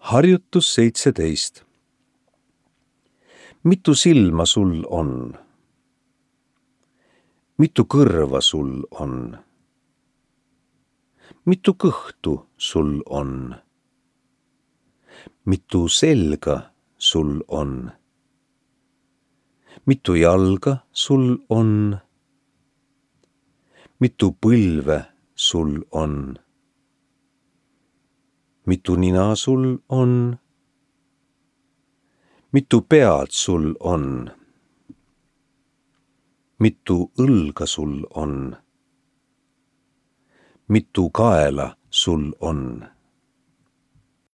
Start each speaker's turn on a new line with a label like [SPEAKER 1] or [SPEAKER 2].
[SPEAKER 1] Harjutus 17. Mitu silma sul on? Mitu kõrva sul on? Mitu kõhtu sul on? Mitu selga sul on? Mitu jalga sul on? Mitu põlve sul on? Mitu nina sul on? Mitu pead sul on? Mitu õlga sul on? Mitu kaela sul on?